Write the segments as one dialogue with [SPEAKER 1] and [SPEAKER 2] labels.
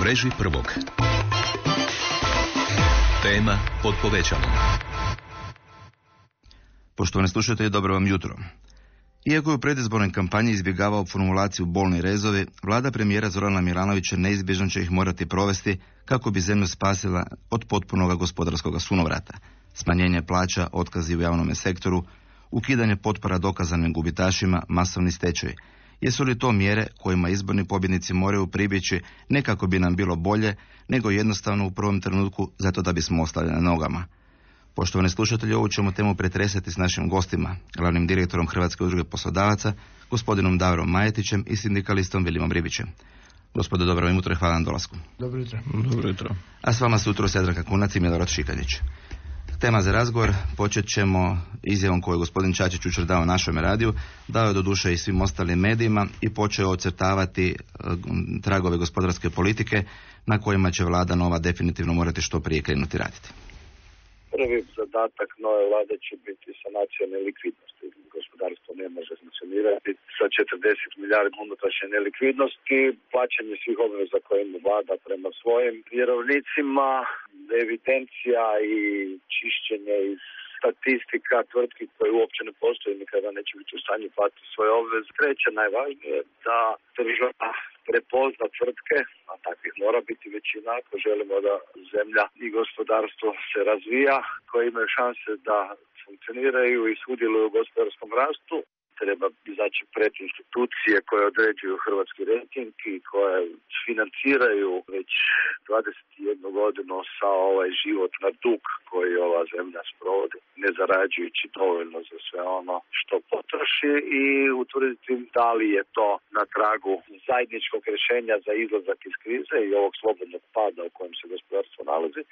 [SPEAKER 1] mreži prvog. Tema pod povećalom.
[SPEAKER 2] Poštovani slušatelji, dobro vam jutro. Iako je u predizbornoj kampanji izbjegavao formulaciju bolni rezovi, vlada premijera Zorana Milanovića neizbježno će ih morati provesti kako bi zemlju spasila od potpunog gospodarskog sunovrata. Smanjenje plaća, otkazi u javnom sektoru, ukidanje potpora dokazanim gubitašima, masovni stečaj. Jesu li to mjere kojima izborni pobjednici moraju pribjeći ne kako bi nam bilo bolje, nego jednostavno u prvom trenutku zato da bismo ostali na nogama? Poštovani slušatelji, ovu ćemo temu pretresati s našim gostima, glavnim direktorom Hrvatske udruge poslodavaca, gospodinom Davorom Majetićem i sindikalistom Vilimom Ribićem. Gospodo, dobro jutro i hvala na dolasku.
[SPEAKER 3] Dobro jutro.
[SPEAKER 4] Dobro jutro.
[SPEAKER 2] A s vama su jutro Jadranka Kunac i Milorad Šikanić. Tema za razgovor počet ćemo izjavom koju je gospodin Čačić jučer dao našem radiju, dao je doduše i svim ostalim medijima i počeo ocrtavati tragove gospodarske politike na kojima će vlada nova definitivno morati što prije krenuti raditi.
[SPEAKER 5] Prvi zadatak nove vlade će biti sanacija nelikvidnosti. Gospodarstvo ne može funkcionirati sa 40 milijardi unutrašnje nelikvidnosti, plaćanje svih obveza koje ima vlada prema svojim vjerovnicima, evidencija i čišćenje iz statistika tvrtki koje uopće ne postoje, nikada neće biti u stanju platiti svoje obveze. Treće, najvažnije, da država prepozna tvrtke, a takvih mora biti većina ako želimo da zemlja i gospodarstvo se razvija, koje imaju šanse da funkcioniraju i sudjeluju u gospodarskom rastu. Treba izaći pred institucije koje određuju hrvatski rejting i koje financiraju već 21 godinu sa ovaj život na dug koji ova zemlja sprovodi, ne zarađujući dovoljno za sve ono što potroši, i utvrditi da li je to na tragu zajedničkog rješenja za izlazak iz krize i ovog slobodnog pada u kojem se gospodarstvo nalazi.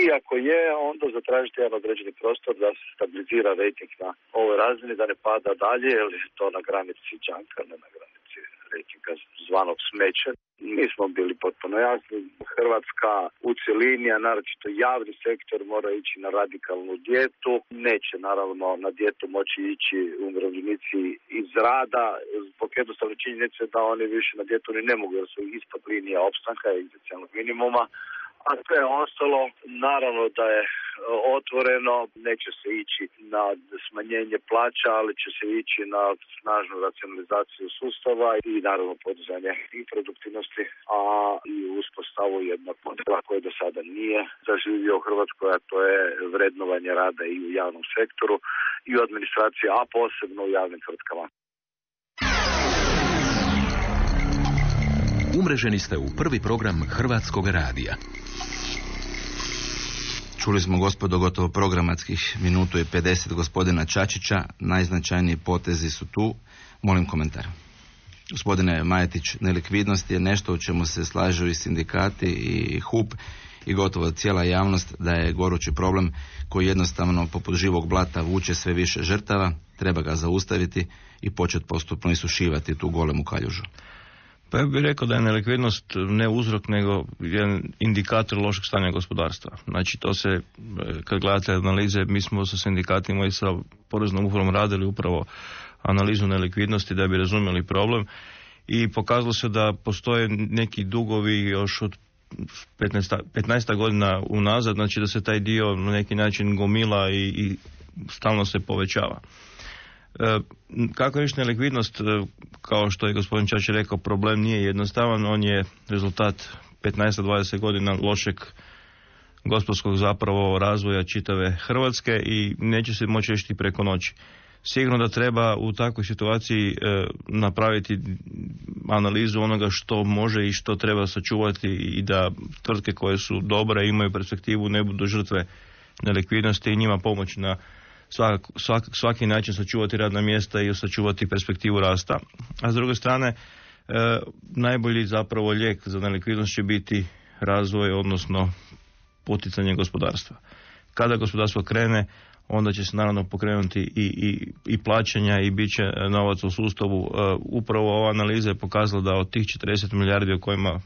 [SPEAKER 5] I ako je, onda zatražiti jedan određeni prostor da se stabilizira rejting na ovoj razini, da ne pada dalje, jer je to na granici džanka, ne na granici rejtinga zvanog smeće. Mi smo bili potpuno jasni. Hrvatska u cjelini, a naročito javni sektor, mora ići na radikalnu dijetu. Neće naravno na dijetu moći ići umirovljenici iz rada zbog jednostavne činjenice da oni više na dijetu ni ne mogu, jer su ispod linija opstanka i egzistencijalnog minimuma. A sve ostalo, naravno da je otvoreno, neće se ići na smanjenje plaća, ali će se ići na snažnu racionalizaciju sustava i naravno podizanje i produktivnosti, a i uspostavu jednog modela koji do sada nije zaživio u Hrvatskoj, a to je vrednovanje rada i u javnom sektoru i u administraciji, a posebno u javnim tvrtkama.
[SPEAKER 1] Umreženi ste u prvi program Hrvatskog radija.
[SPEAKER 2] Čuli smo, gospodo, gotovo programatskih minutu i 50 gospodina Čačića. Najznačajniji potezi su tu. Molim komentar. Gospodine Majetić, nelikvidnost je nešto u čemu se slažu i sindikati i HUP i gotovo cijela javnost, da je gorući problem koji jednostavno poput živog blata vuče sve više žrtava. Treba ga zaustaviti i početi postupno isušivati tu golemu kaljužu.
[SPEAKER 4] Pa ja bih rekao da je nelikvidnost ne uzrok, nego jedan indikator lošeg stanja gospodarstva. Znači, to se, kad gledate analize, mi smo sa sindikatima i sa poreznom upravom radili upravo analizu nelikvidnosti da bi razumjeli problem i pokazalo se da postoje neki dugovi još od 15 godina unazad, znači da se taj dio na neki način gomila i stalno se povećava. Kako riješiti nelikvidnost, kao što je gospodin Čačić rekao, problem nije jednostavan, on je rezultat 15-20 godina lošeg gospodarskog zapravo razvoja čitave Hrvatske i neće se moći riješiti preko noći. Sigurno da treba u takvoj situaciji napraviti analizu onoga što može i što treba sačuvati i da tvrtke koje su dobre imaju perspektivu ne budu žrtve nelikvidnosti i njima pomoći na svaki način sačuvati radna mjesta i sačuvati perspektivu rasta. A s druge strane, najbolji zapravo lijek za nelikvidnost će biti razvoj, odnosno poticanje gospodarstva. Kada gospodarstvo krene, onda će se naravno pokrenuti i plaćanja i bit će novac u sustavu. Upravo ova analiza je pokazala da od tih 40 milijardi o kojima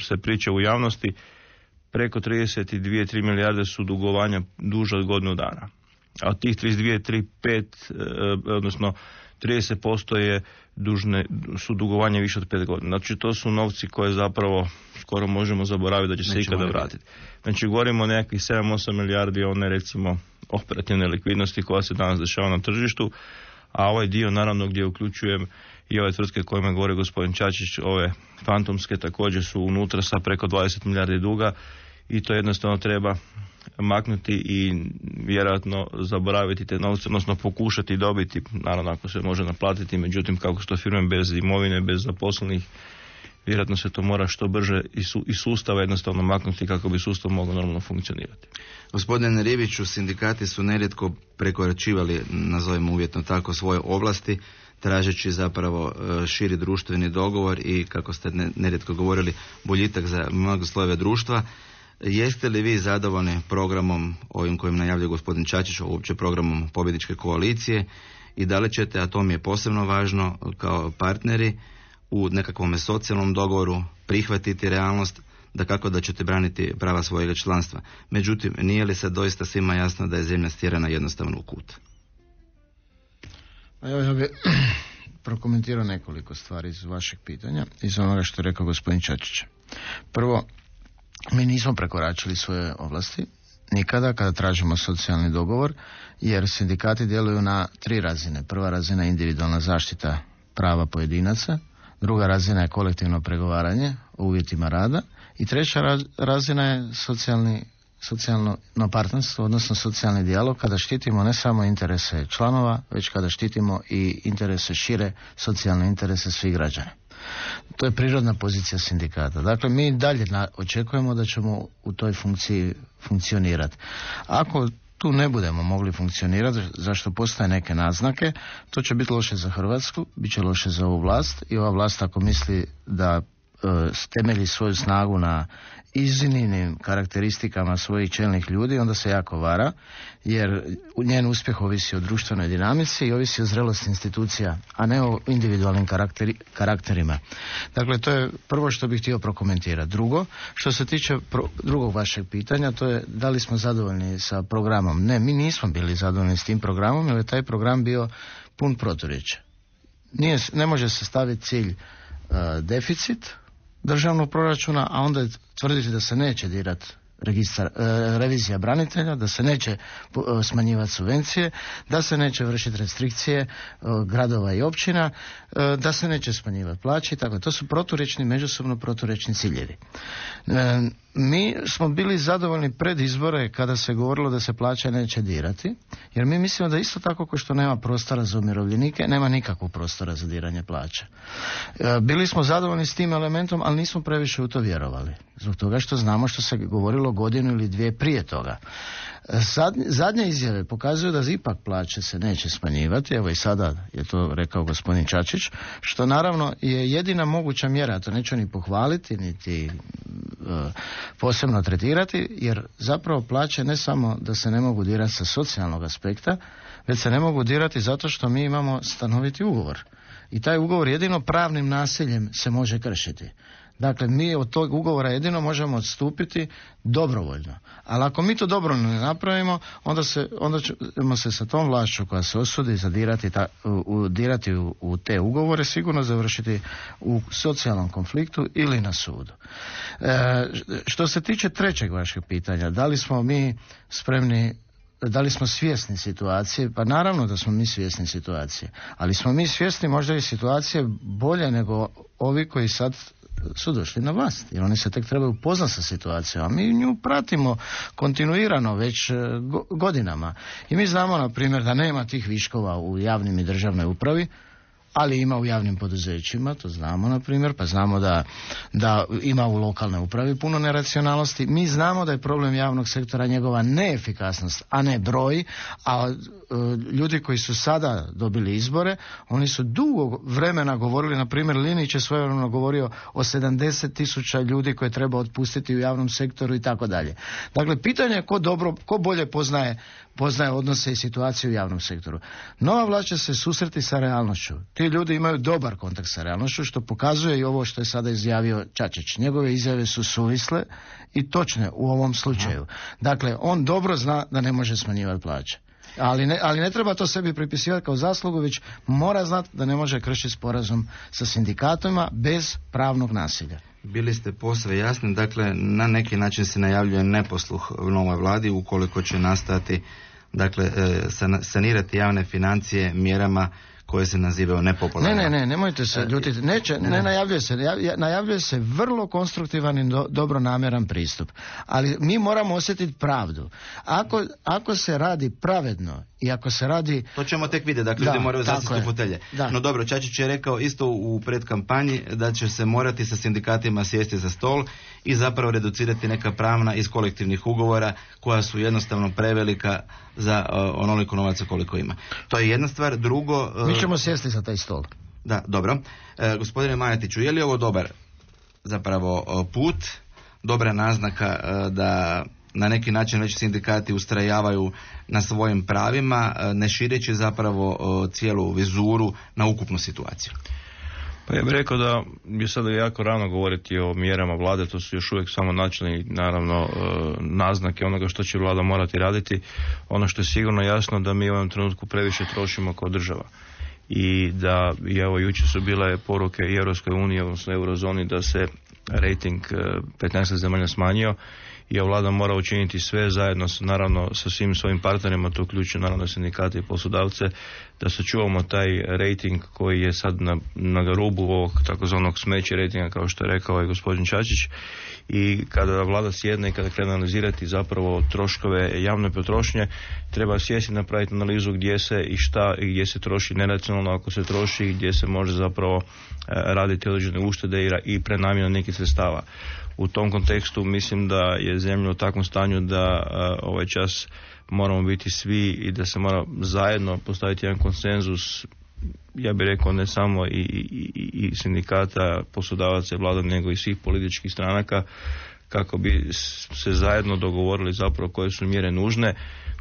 [SPEAKER 4] se priča u javnosti, preko 32-3 milijarde su dugovanja duže od godinu dana. A od tih 32, 3, 5, odnosno 30% su dugovanje više od 5 godina. Znači to su novci koje zapravo skoro možemo zaboraviti da će se ikada vratiti. Znači govorimo o nekakvih 7-8 milijardi one recimo operativne likvidnosti koja se danas dešava na tržištu, a ovaj dio naravno gdje uključujem i ove tvrtke kojima govori gospodin Čačić, ove fantomske također su unutra sa preko 20 milijardi duga i to jednostavno treba maknuti i vjerojatno zaboraviti te novce, odnosno pokušati dobiti, naravno ako se može naplatiti, međutim kako su to firme bez imovine, bez zaposlenih, vjerojatno se to mora što brže iz sustava jednostavno maknuti kako bi sustav mogao normalno funkcionirati.
[SPEAKER 2] Gospodine Ribiću, sindikati su nerijetko prekoračivali, nazovimo uvjetno tako, svoje ovlasti, tražeći zapravo širi društveni dogovor i, kako ste nerijetko govorili, boljitak za mnogo slojeve društva. Jeste li vi zadovoljni programom ovim kojim najavljuje gospodin Čačić, uopće programom pobjedničke koalicije, i da li ćete, a to mi je posebno važno, kao partneri u nekakvom socijalnom dogovoru prihvatiti realnost da kako da ćete braniti prava svojega članstva? Međutim, nije li sad doista svima jasno da je zemlja stjerana jednostavno u kut?
[SPEAKER 3] Evo, ja bih prokomentirao nekoliko stvari iz vašeg pitanja, iz onoga što je rekao gospodin Čačić. Prvo, mi nismo prekoračili svoje ovlasti nikada kada tražimo socijalni dogovor, jer sindikati djeluju na 3 razine. Prva razina je individualna zaštita prava pojedinaca, druga razina je kolektivno pregovaranje o uvjetima rada i treća razina je socijalno partnerstvo, odnosno socijalni dijalog, kada štitimo ne samo interese članova, već kada štitimo i interese šire, socijalne interese svih građana. To je prirodna pozicija sindikata. Dakle, mi dalje očekujemo da ćemo u toj funkciji funkcionirati. Ako tu ne budemo mogli funkcionirati, zašto postoje neke naznake, to će biti loše za Hrvatsku, bit će loše za ovu vlast, i ova vlast ako misli da temelji svoju snagu na iznimnim karakteristikama svojih čelnih ljudi, onda se jako vara, jer njen uspjeh ovisi o društvenoj dinamici i ovisi o zrelosti institucija, a ne o individualnim karakterima. Dakle, to je prvo što bih htio prokomentirati. Drugo, što se tiče drugog vašeg pitanja, to je da li smo zadovoljni sa programom. Ne, mi nismo bili zadovoljni s tim programom, jer je taj program bio pun proturječja. Ne može se staviti cilj deficit državnog proračuna, a onda tvrditi da se neće dirati revizija branitelja, da se neće smanjivati subvencije, da se neće vršiti restrikcije gradova i općina, da se neće smanjivati plaće i tako. To su međusobno proturječni ciljevi. Mi smo bili zadovoljni pred izbore kada se govorilo da se plaće neće dirati, jer mi mislimo da isto tako kao što nema prostora za umirovljenike, nema nikakvog prostora za diranje plaća. Bili smo zadovoljni s tim elementom, ali nismo previše u to vjerovali. Zbog toga što znamo što se govorilo godinu ili dvije prije toga. Zadnje izjave pokazuju da ipak plaće se neće smanjivati, evo i sada je to rekao gospodin Čačić, što naravno je jedina moguća mjera, to neću ni pohvaliti, niti posebno tretirati, jer zapravo plaće ne samo da se ne mogu dirati sa socijalnog aspekta, već se ne mogu dirati zato što mi imamo stanoviti ugovor. I taj ugovor jedino pravnim nasiljem se može kršiti. Dakle, mi od tog ugovora jedino možemo odstupiti dobrovoljno. Ali ako mi to dobrovoljno ne napravimo, onda ćemo se sa tom vlašću koja se osudi dirati u te ugovore sigurno završiti u socijalnom konfliktu ili na sudu. Što se tiče trećeg vašeg pitanja, da li smo mi spremni, da li smo svjesni situacije? Pa naravno da smo mi svjesni situacije. Ali smo mi svjesni možda i situacije bolje nego ovi koji sad su došli na vlast, jer oni se tek trebaju upoznati sa situacijom, a mi nju pratimo kontinuirano već godinama. I mi znamo, na primjer, da nema tih viškova u javnim i državnoj upravi, ali ima u javnim poduzećima, to znamo na primjer, pa znamo da ima u lokalnoj upravi puno neracionalnosti. Mi znamo da je problem javnog sektora njegova neefikasnost, a ne broj, a ljudi koji su sada dobili izbore, oni su dugo vremena govorili, na primjer Linić je svojevremeno govorio o 70.000 ljudi koje treba otpustiti u javnom sektoru i tako dalje. Dakle, pitanje je ko bolje poznaje odnose i situaciju u javnom sektoru. Nova vlast će se susreti sa realnošću. Ti ljudi imaju dobar kontakt sa realnošću, što pokazuje i ovo što je sada izjavio Čačić. Njegove izjave su suvisle i točne u ovom slučaju. Dakle, on dobro zna da ne može smanjivati plaće. Ali ne treba to sebi pripisivati kao zaslugu, već mora znati da ne može kršiti sporazum sa sindikatima bez pravnog nasilja.
[SPEAKER 2] Bili ste posve jasni, dakle na neki način se najavljuje neposluh novoj vladi ukoliko će nastati, dakle sanirati javne financije mjerama koje se nazivaju nepopularne.
[SPEAKER 3] Nemojte se ljutiti. Ne najavljuje se. Najavljuje se vrlo konstruktivan i dobronamjeran pristup. Ali mi moramo osjetiti pravdu. Ako se radi pravedno i ako se radi...
[SPEAKER 2] To ćemo tek vidjeti, dakle ljudi moraju zasjeti u fotelje. No dobro, Čačić je rekao isto u predkampanji da će se morati sa sindikatima sjesti za stol i zapravo reducirati neka pravna iz kolektivnih ugovora koja su jednostavno prevelika za onoliko novaca koliko ima. To je jedna stvar. Drugo...
[SPEAKER 3] Mi ćemo sjesti za taj stol.
[SPEAKER 2] Da, dobro. Gospodine Majetiću, je li ovo dobar zapravo put, dobra naznaka da na neki način već sindikati ustrajavaju na svojim pravima, ne šireći zapravo cijelu vizuru na ukupnu situaciju?
[SPEAKER 4] Pa ja bih rekao da je sada jako rano govoriti o mjerama vlade, to su još uvijek samo načelni, naravno, naznake onoga što će vlada morati raditi. Ono što je sigurno jasno da mi u ovom trenutku previše trošimo kao država. I da, evo, jučer su bile poruke i Europskoj uniji, odnosno Eurozoni, da se rating 15 zemalja smanjio i vlada mora učiniti sve zajedno, naravno, sa svim svojim partnerima, to uključuje naravno sindikate i poslodavce, da sačuvamo taj rating koji je sad na rubu ovog takozvanog smeće ratinga, kao što je rekao i gospodin Čačić. I kada vlada sjedne i kada krene analizirati zapravo troškove javne potrošnje, treba sjesti i napraviti analizu gdje se i šta i gdje se troši neracionalno, ako se troši, gdje se može zapravo raditi određene uštede i prenamjena nekih sredstava. U tom kontekstu mislim da je zemlja u takvom stanju da ovaj čas moramo biti svi i da se mora zajedno postaviti jedan konsenzus, ja bih rekao ne samo i sindikata, poslodavaca i vlada, nego i svih političkih stranaka, kako bi se zajedno dogovorili zapravo koje su mjere nužne,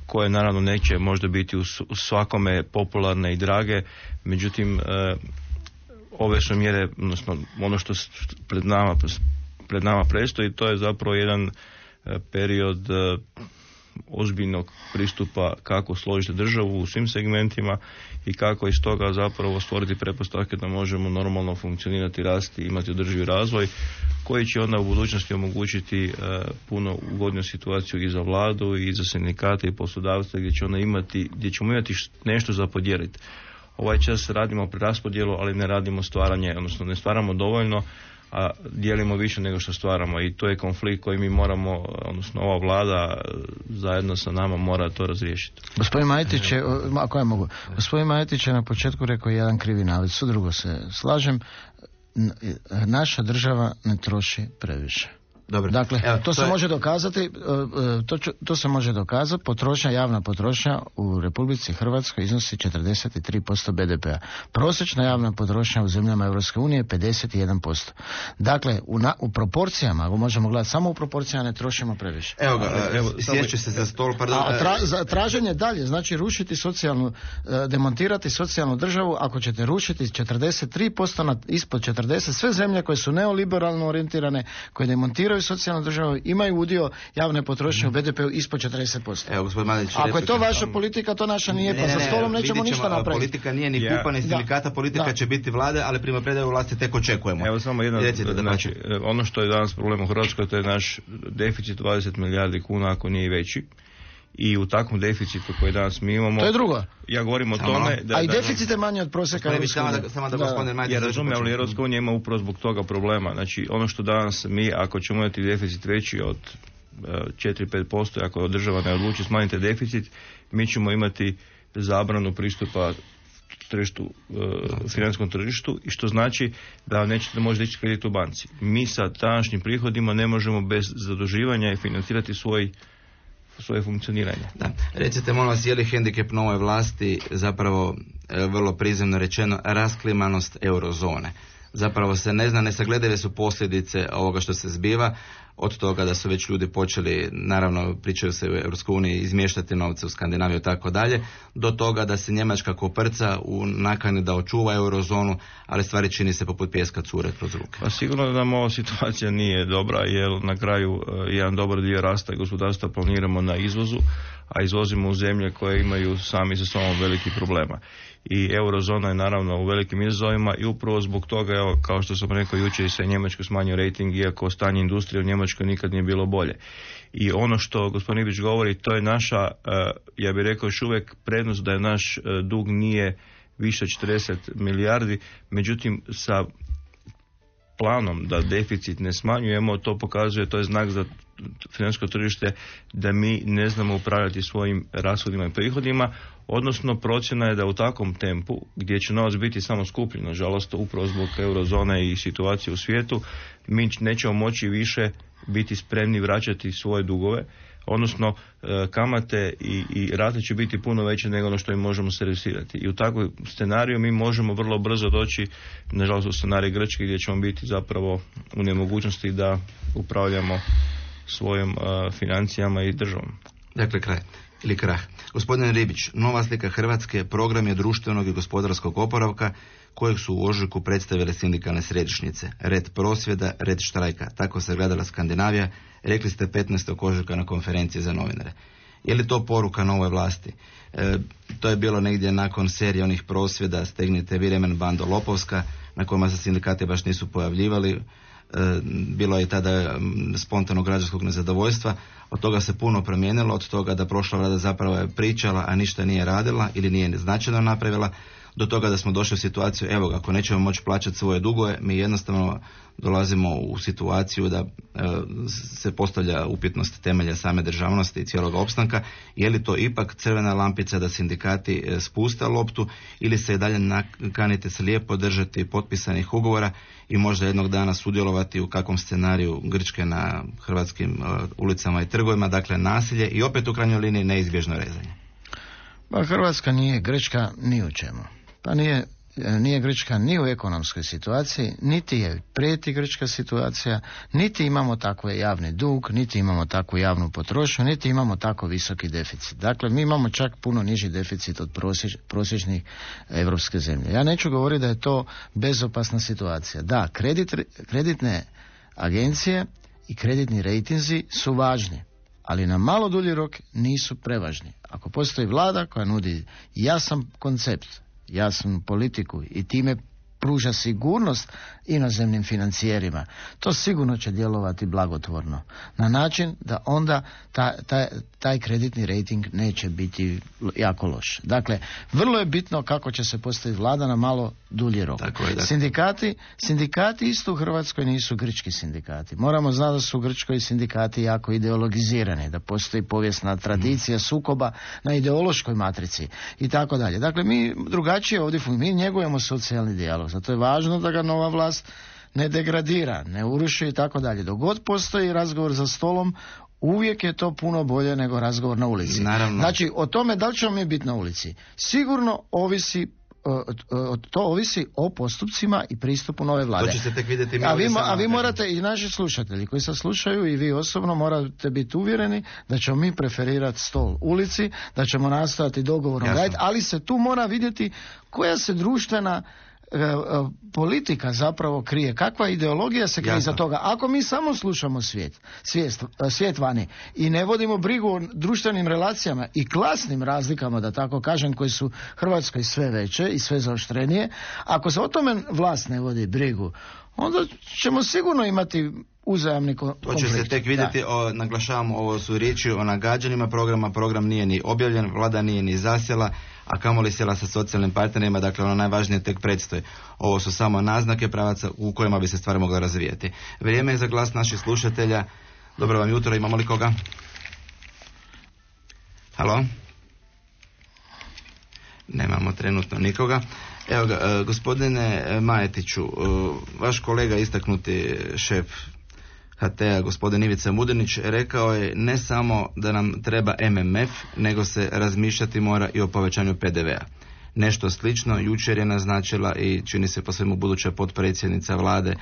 [SPEAKER 4] koje naravno neće možda biti u svakome popularne i drage, međutim ove su mjere, odnosno ono što pred nama predstoji, to je zapravo jedan period ozbiljnog pristupa kako složiti državu u svim segmentima i kako iz toga zapravo stvoriti pretpostavke da možemo normalno funkcionirati, rasti i imati održivi razvoj koji će onda u budućnosti omogućiti puno ugodniju situaciju i za vladu i za sindikate i poslodavce gdje ćemo imati nešto za podijeliti. Ovaj čas radimo preraspodjelu, ali ne radimo stvaranje, odnosno ne stvaramo dovoljno, a dijelimo više nego što stvaramo i to je konflikt koji mi moramo, odnosno ova vlada zajedno sa nama mora to razriješiti.
[SPEAKER 3] Gospodin Majetić je, ako ja mogu, gospodin Majetić je na početku rekao jedan krivi navod, sve drugo se slažem, naša država ne troši previše.
[SPEAKER 2] Dobro.
[SPEAKER 3] Dakle, evo, to se može dokazati, to se može dokazati, javna potrošnja u Republici Hrvatskoj iznosi 43% BDP-a. Prosječna javna potrošnja u zemljama Europske unije je 51%. Dakle, u proporcijama, ako možemo gledati samo u proporcijama, ne trošimo previše.
[SPEAKER 2] Evo ga, sjeću se za stol, pardon.
[SPEAKER 3] Traženje dalje, znači rušiti socijalnu, demontirati socijalnu državu, ako ćete rušiti 43% ispod 40%, sve zemlje koje su neoliberalno orijentirane, koje demontiraju socijalnu državu, imaju udio javne potrošnje u BDP-u ispod 40%.
[SPEAKER 2] Evo, gospodin Mladenić,
[SPEAKER 3] ako je to vaša politika, to naša nije, pa za stolom nećemo ništa napraviti.
[SPEAKER 2] Politika nije ni pupa, ni sindikata, politika će biti vlade, ali prema predaju vlasti tek očekujemo.
[SPEAKER 4] Evo samo jedno, znači, ono što je danas problem u Hrvatskoj, to je naš deficit 20 milijardi kuna, ako nije veći. I u takvom deficitu koji danas mi imamo...
[SPEAKER 3] To je drugo.
[SPEAKER 4] Ja govorim o tome...
[SPEAKER 3] A i deficit je manji od prosjeka Europske unije.
[SPEAKER 2] Ja
[SPEAKER 4] razumijem, ali Europska unija ima upravo zbog toga problema. Znači, ono što danas mi, ako ćemo imati deficit veći od 4-5%, ako država ne odluči smanjiti deficit, mi ćemo imati zabranu pristupa tržištu, financijskom tržištu, i što znači da nećete možda ići kredit u banci. Mi sa današnjim prihodima ne možemo bez zaduživanja financirati svoje funkcioniranje.
[SPEAKER 2] Da. Recite, molim vas, je li hendikep nove vlasti zapravo, vrlo prizemno rečeno, rasklimanost eurozone? Zapravo se ne zna, nesagledive su posljedice ovoga što se zbiva, od toga da su već ljudi počeli, naravno pričaju se u Europskoj uniji, izmještati novce u Skandinaviju i tako dalje, do toga da se Njemačka koprca u nakani da očuva eurozonu, ali stvari čini se poput pijeska cure kroz ruke.
[SPEAKER 4] Pa sigurno da nam ova situacija nije dobra, jer na kraju jedan dobar dio rasta i gospodarstva planiramo na izvozu, a izvozimo u zemlje koje imaju sami sa sobom velikih problema. I eurozona je naravno u velikim izazovima i upravo zbog toga, evo, kao što sam rekao jučer, se Njemačkoj smanjio rating, iako stanje industrije u Njemačkoj nikad nije bilo bolje. I ono što gospodin Ivić govori, to je naša, ja bih rekao još uvijek prednost, da je naš dug nije više 40 milijardi, međutim sa planom da deficit ne smanjujemo, to pokazuje, to je znak za financijsko tržište da mi ne znamo upravljati svojim rashodima i prihodima, odnosno procjena je da u takvom tempu, gdje će novac biti samo skuplji, nažalost, upravo zbog eurozone i situacije u svijetu, mi nećemo moći više biti spremni vraćati svoje dugove, odnosno kamate i rate će biti puno veće nego ono što im možemo servisirati. I u takvom scenariju mi možemo vrlo brzo doći, nažalost, u scenarij Grčke, gdje ćemo biti zapravo u nemogućnosti da upravljamo svojim financijama i državom.
[SPEAKER 2] Dakle, kraj ili krah. Gospodine Ribić, nova slika Hrvatske program je društvenog i gospodarskog oporavka kojeg su u ožujku predstavile sindikalne središnjice. Red prosvjeda, red štrajka. Tako se gledala Skandinavija, rekli ste 15. ožujka na konferenciji za novinare. Je li to poruka novoj vlasti? To je bilo negdje nakon serije onih prosvjeda Stegnite vi remen bando lopovska, na kojima se sindikati baš nisu pojavljivali. Bilo je tada spontanog građanskog nezadovoljstva. Od toga se puno promijenilo, od toga da prošla vlada zapravo je pričala, a ništa nije radila ili nije značajno napravila, do toga da smo došli u situaciju, evo, ako nećemo moći plaćati svoje dugove, mi jednostavno dolazimo u situaciju da se postavlja upitnost temelja same državnosti i cijelog opstanka. Je li to ipak crvena lampica da sindikati spuste loptu ili se i dalje kanite slijepo držati potpisanih ugovora i možda jednog dana sudjelovati u kakvom scenariju Grčke na hrvatskim ulicama i trgovima, dakle nasilje i opet u krajnjoj liniji neizbježno rezanje?
[SPEAKER 3] Pa Hrvatska nije Grčka ni u čemu. Pa nije Grčka ni u ekonomskoj situaciji, niti je prijeti grčka situacija, niti imamo takve javni dug, niti imamo takvu javnu potrošnju, niti imamo tako visoki deficit. Dakle, mi imamo čak puno niži deficit od prosječnih europske zemlje. Ja neću govoriti da je to bezopasna situacija. Da, kreditne agencije i kreditni rejtinzi su važni, ali na malo dulji rok nisu prevažni. Ako postoji vlada koja nudi jasan koncept, jasnu politiku i time pruža sigurnost inozemnim financijerima, to sigurno će djelovati blagotvorno. Na način da onda taj kreditni rejting neće biti jako loš. Dakle, vrlo je bitno kako će se postaviti vlada na malo dulji rok. Sindikati isto u Hrvatskoj nisu grčki sindikati. Moramo znati da su u Grčkoj sindikati jako ideologizirani, da postoji povijesna tradicija sukoba na ideološkoj matrici i tako dalje. Dakle, mi drugačije ovdje mi njegujemo socijalni dijalog. Zato je važno da ga nova vlast ne degradira, ne uruši i tako dalje. Dok god postoji razgovor za stolom, uvijek je to puno bolje nego razgovor na ulici.
[SPEAKER 2] Naravno.
[SPEAKER 3] Znači, o tome da li ćemo mi biti na ulici, sigurno to ovisi o postupcima i pristupu nove vlade.
[SPEAKER 2] To će se tek vidjeti.
[SPEAKER 3] A vi morate, i naši slušatelji koji sad slušaju i vi osobno morate biti uvjereni da ćemo mi preferirati stol ulici, da ćemo nastojati dogovorom raditi, ali se tu mora vidjeti koja se društvena politika zapravo krije, kakva ideologija se krije iza toga. Ako mi samo slušamo svijet vani i ne vodimo brigu o društvenim relacijama i klasnim razlikama, da tako kažem, koje su Hrvatskoj sve veće i sve zaoštrenije, ako se o tome vlast ne vodi brigu, onda ćemo sigurno imati uzajamni konflikt.
[SPEAKER 2] To će se tek vidjeti, naglašavamo, ovo su riječi o nagađanjima programa, program nije ni objavljen, vlada nije ni zasjela, a kamoli sjela sa socijalnim partnerima, dakle ono najvažnije tek predstoji. Ovo su samo naznake pravaca u kojima bi se stvari mogla razvijeti. Vrijeme je za glas naših slušatelja. Dobro vam jutro, imamo li koga? Halo? Nemamo trenutno nikoga. Evo ga, gospodine Majetiću, vaš kolega, istaknuti šef HT-a, gospodin Ivica Mudrinić, rekao je ne samo da nam treba MMF, nego se razmišljati mora i o povećanju PDV-a. Nešto slično jučer je naznačila i čini se po svemu buduća potpredsjednica vlade,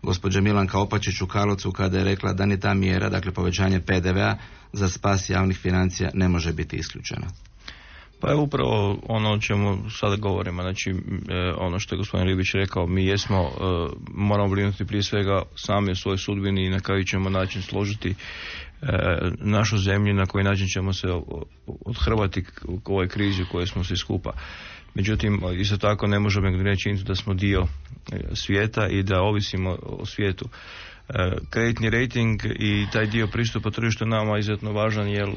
[SPEAKER 2] gospođa Milanka Opačić u Karlovcu, kada je rekla da ni ta mjera, dakle povećanje PDV-a za spas javnih financija, ne može biti isključena.
[SPEAKER 4] Pa je upravo ono o čemu sada govorimo, znači ono što je gospodin Ribić rekao, mi moramo brinuti prije svega sami o svojoj sudbini i na koji ćemo način složiti našu zemlju, na koji način ćemo se odhrvati u ovoj krizi u kojoj smo svi skupa. Međutim, isto tako ne možemo reći da smo dio svijeta i da ovisimo o svijetu. Kreditni rating i taj dio pristupa tržištu nama je izuzetno važan, jer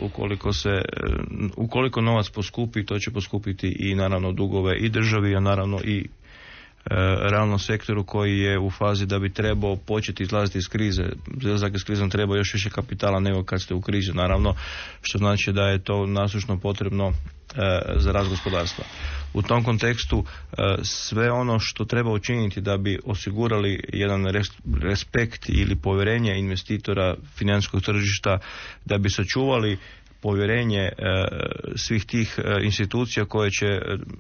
[SPEAKER 4] ukoliko novac poskupi, to će poskupiti i naravno dugove i državi, a naravno i realnom sektoru koji je u fazi da bi trebao početi izlaziti iz krize. Izlazak iz krizom treba još više kapitala nego kad ste u krizi, naravno, što znači da je to nasušno potrebno za rast gospodarstva. U tom kontekstu sve ono što treba učiniti da bi osigurali jedan respekt ili povjerenje investitora financijskog tržišta, da bi sačuvali povjerenje svih tih institucija koje će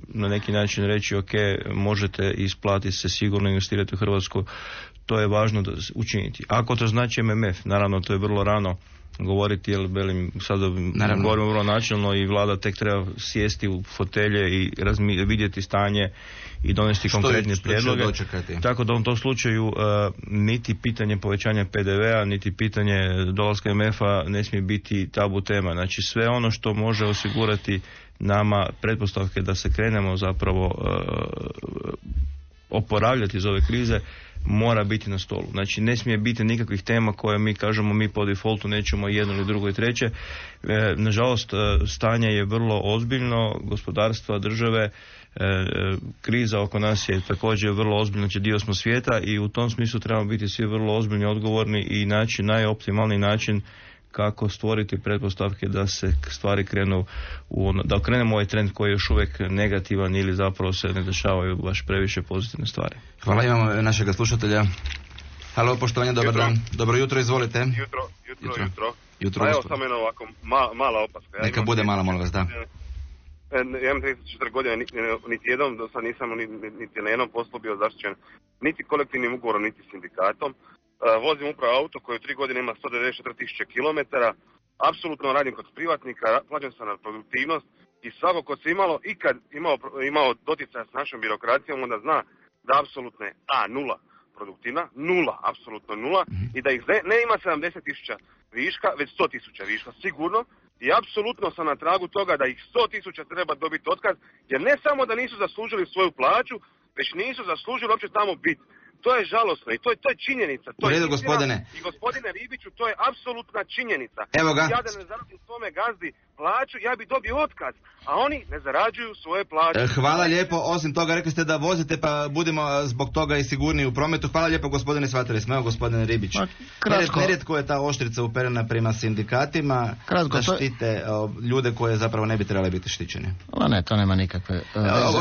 [SPEAKER 4] na neki način reći ok, možete isplatiti se, sigurno investirati u Hrvatsku, to je važno da učiniti. Ako to znači MMF, naravno to je vrlo rano govoriti, jer sada govorimo vrlo načelno i vlada tek treba sjesti u fotelje i vidjeti stanje i donesti konkretne prijedloge. Tako da u tom slučaju niti pitanje povećanja PDV-a, niti pitanje dolaska MMF-a ne smije biti tabu tema. Znači sve ono što može osigurati nama pretpostavke da se krenemo zapravo oporavljati iz ove krize, mora biti na stolu. Znači ne smije biti nikakvih tema koje mi kažemo mi po defaultu nećemo jedno ili drugo i treće. Nažalost, stanje je vrlo ozbiljno, gospodarstva, države, kriza oko nas je također vrlo ozbiljna, znači dio smo svijeta i u tom smislu trebamo biti svi vrlo ozbiljni, odgovorni i naći najoptimalniji način kako stvoriti pretpostavke da se stvari krenu da okrenemo ovaj trend koji je još uvijek negativan ili zapravo se ne dešavaju baš previše pozitivne stvari.
[SPEAKER 2] Hvala, imamo našega slušatelja. Halo, poštovanje, dobar dan. Dobro jutro, izvolite. Jutro.
[SPEAKER 6] Pa evo samo jedno ovako mala opaska.
[SPEAKER 2] Neka bude mala, molim vas, da.
[SPEAKER 6] Ja imam 34 godine, niti jednom do sad nisam niti na jednom poslu bio zaštićen niti kolektivnim ugovorom, niti sindikatom. Vozim upravo auto koji u 3 godine ima 194.000 km, apsolutno radim kod privatnika, plaćam sam na produktivnost i svako ko se ikad imao doticaja s našom birokracijom, onda zna da apsolutno je nula produktivna, nula, apsolutno nula, i da ih ne ima 70.000 viška, već 100.000 viška, sigurno, i apsolutno sam na tragu toga da ih 100.000 treba dobiti otkaz, jer ne samo da nisu zaslužili svoju plaću, već nisu zaslužili uopće tamo biti. To je žalosno i to je činjenica. To
[SPEAKER 2] u redu, gospodine.
[SPEAKER 6] I gospodine Ribiću, to je apsolutna činjenica.
[SPEAKER 2] Evo ga.
[SPEAKER 6] Ja da ne zaradim svome gazdi plaću, ja bi dobio otkaz, a oni ne zarađuju svoje plaće.
[SPEAKER 2] Hvala lijepo, osim toga rekli ste da vozite, pa budemo zbog toga i sigurniji u prometu. Hvala lijepo, gospodine, shvatili smo. Evo, gospodine Ribić. Nerijetko je ta oštrica uperena prema sindikatima da štite ljude koje zapravo ne bi trebali biti štićeni.
[SPEAKER 3] Ne, to nema nikakve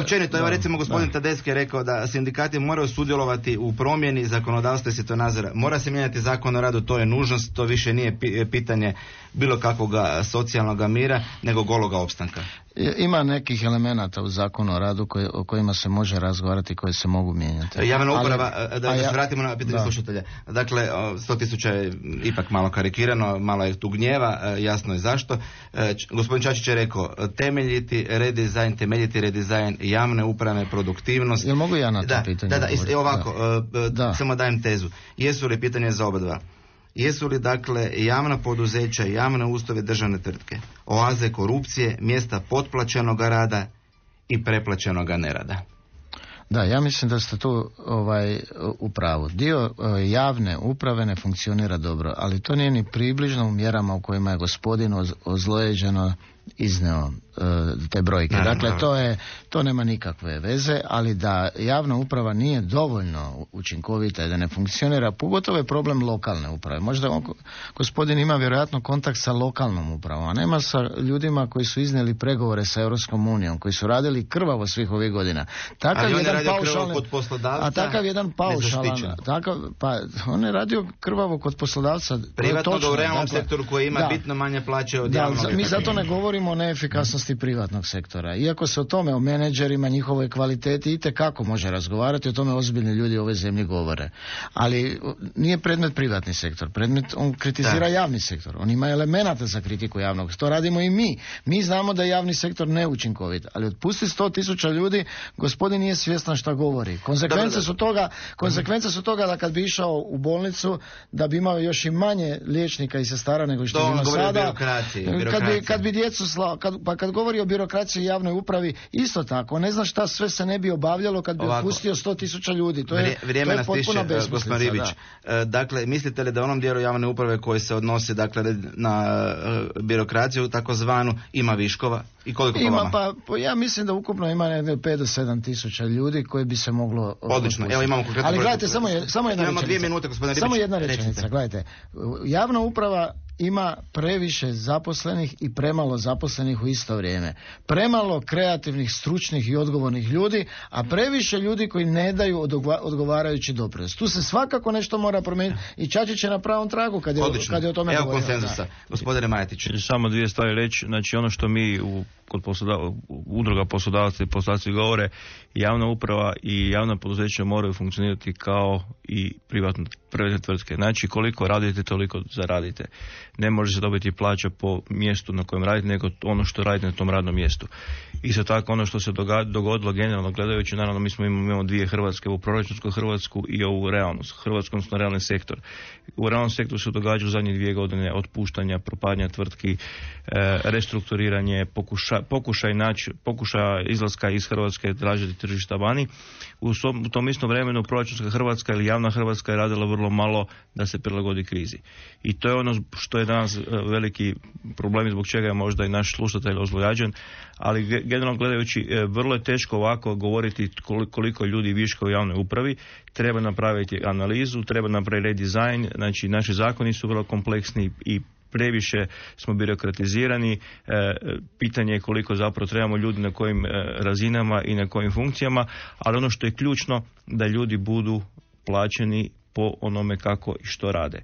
[SPEAKER 2] općenito, evo recimo gospodin Tedeschi je rekao da sindikati moraju sudjelovati u promjeni zakonodavstva i svjetonazora. Mora se mijenjati zakon o radu, to je nužnost, to više nije pitanje bilo kakvog socijalnog mira, nego gologa opstanka.
[SPEAKER 3] Ima nekih elemenata u zakonu o radu o kojima se može razgovarati, koje se mogu mijenjati.
[SPEAKER 2] Javna uprava, da se vratimo na pitanje slušatelja. Dakle, 100.000 je ipak malo karikirano, malo je tu gnjeva, jasno je zašto. Gospodin Čačić je rekao, temeljiti redizajn javne uprave, produktivnost.
[SPEAKER 3] Jel mogu ja na to pitanje?
[SPEAKER 2] Samo dajem tezu. Jesu li pitanje za oba dva? Jesu li dakle javna poduzeća, javne ustanove, državne tvrtke oaze korupcije, mjesta potplaćenog rada i preplaćenog nerada?
[SPEAKER 3] Da, ja mislim da ste tu u pravu. Dio javne uprave ne funkcionira dobro, ali to nije ni približno u mjerama u kojima je gospodin ozlojeđeno izneo te brojke. Dakle, to nema nikakve veze, ali da javna uprava nije dovoljno učinkovita i da ne funkcionira, pogotovo je problem lokalne uprave. Možda gospodin ima vjerojatno kontakt sa lokalnom upravom, a nema sa ljudima koji su iznijeli pregovore sa Europskom unijom, koji su radili krvavo svih ovih godina.
[SPEAKER 2] Ali on je radio krvavo kod poslodavca,
[SPEAKER 3] a takav jedan paušalan, on je radio krvavo kod poslodavca.
[SPEAKER 2] Privatno u realnom sektoru koji ima bitno manje plaće od javnog.
[SPEAKER 3] Mi zato ne govorimo govorimo o neefikasnosti privatnog sektora. Iako se o tome, o menadžerima, njihovoj kvaliteti itekako može razgovarati, o tome ozbiljni ljudi u ovoj zemlji govore. Ali nije predmet privatni sektor. On kritizira javni sektor. On ima elemenata za kritiku javnog. To radimo i mi. Mi znamo da je javni sektor neučinkovit. Ali otpusti 100.000 ljudi, gospodin nije svjestan šta govori. Konsekvence su toga da kad bi išao u bolnicu, da bi imao još i manje liječnika i sestara nego što ima sada. Kad bi djecu kad govori o birokraciji i javnoj upravi, isto tako, ne zna šta sve se ne bi obavljalo kad bi otpustio 100.000 ljudi. To je potpuno besmislica.
[SPEAKER 2] Dakle, mislite li da onom dijelu javne uprave koji se odnosi na birokraciju takozvanu ima viškova? I koliko po vama?
[SPEAKER 3] Ja mislim da ukupno ima 5 do 7.000 ljudi koji bi se moglo...
[SPEAKER 2] Odlično, evo imamo konkretno...
[SPEAKER 3] Ali gledajte, samo jedna rečenica.
[SPEAKER 2] 2 minute, gospodine Ribić.
[SPEAKER 3] Samo jedna rečenica, gledajte. Javna uprava ima previše zaposlenih i premalo zaposlenih u isto vrijeme. Premalo kreativnih, stručnih i odgovornih ljudi, a previše ljudi koji ne daju odgovarajući doprinos. Tu se svakako nešto mora promijeniti i Čačić je na pravom tragu kad je o tome
[SPEAKER 2] govorio.
[SPEAKER 3] Evo
[SPEAKER 2] konsenzusa. Gospodine Majetić.
[SPEAKER 4] Samo 2 stvari reći. Znači ono što mi kod udruga poslodavaca i poslodavci govore, javna uprava i javna poduzeća moraju funkcionirati kao i privatne tvrtke. Znači koliko radite, toliko zaradite. Ne može se dobiti plaća po mjestu na kojem radite, nego ono što radite na tom radnom mjestu. Isto tako ono što se dogodilo generalno gledajući, naravno mi imamo 2 Hrvatske, ovu proračunsku Hrvatsku i ovu realnu Hrvatsku, odnosno realni sektor. U realnom sektoru se događa u zadnjih 2 godine otpuštanja, propadanja tvrtki, restrukturiranje, pokušaj izlaska iz Hrvatske, tražiti tržišta vani. U tom istom vremenu proračunska Hrvatska ili javna Hrvatska je radila vrlo malo da se prilagodi krizi. I to je ono što je danas veliki problem, zbog čega je možda i naš slušatelj ozlojađen, ali generalno gledajući vrlo je teško ovako govoriti koliko ljudi viška u javnoj upravi. Treba napraviti analizu, treba napraviti redizajn, znači naši zakoni su vrlo kompleksni i previše smo birokratizirani, pitanje je koliko zapravo trebamo ljudi na kojim razinama i na kojim funkcijama, ali ono što je ključno da ljudi budu plaćeni po onome kako i što rade.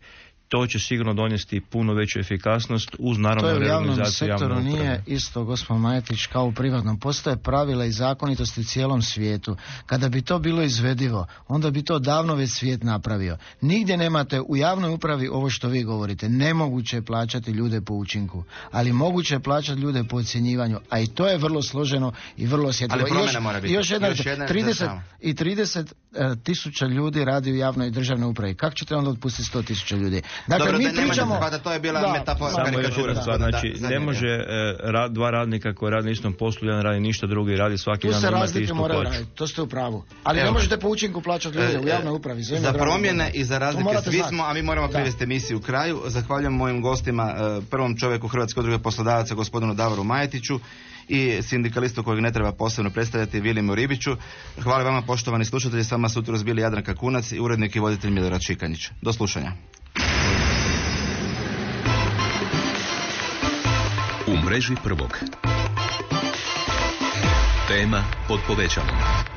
[SPEAKER 4] To će sigurno donijeti puno veću efikasnost uz naravno reorganizaciju javne uprave. To je u javnom sektoru nije isto, gospod Majetić, kao u privatnom. Postoje pravila i zakonitosti u cijelom svijetu. Kada bi to bilo izvedivo, onda bi to davno već svijet napravio. Nigdje nemate u javnoj upravi ovo što vi govorite. Nemoguće je plaćati ljude po učinku, ali moguće je plaćati ljude po ocjenjivanju, a i to je vrlo složeno i vrlo osjetljivo.
[SPEAKER 2] Ali promjena mora biti.
[SPEAKER 3] Još jedna 30.000 ljudi radi u javnoj i državnoj upravi. Kako ćete onda otpustiti 100.000 ljudi? Dakle,
[SPEAKER 2] dobro,
[SPEAKER 3] mi pričamo...
[SPEAKER 2] to je bila metafora.
[SPEAKER 4] Samo još jedna stvar, znači ne može 2 radnika koji radi na istom poslu, jedan radi ništa, drugi radi svaki dan imati istu plaću.
[SPEAKER 3] To ste u pravu. Ali ne možete po učinku plaćati ljude u javnoj upravi.
[SPEAKER 2] Za promjene i za razlike svi smo, a mi moramo privesti emisiju u kraju. Zahvaljujem mojim gostima, prvom čovjeku Hrvatske udruge poslodavaca, gospodinu Davoru Majetiću, i sindikalistu kojeg ne treba posebno predstavljati, Vilimu Ribiću. Hvala vama, poštovani slušatelji, s vama su jutros bili Jadranka Kunac i urednik i voditelj Milorad Šikanjić. Do slušanja.
[SPEAKER 1] U mreži prvog. Tema pod povećalom.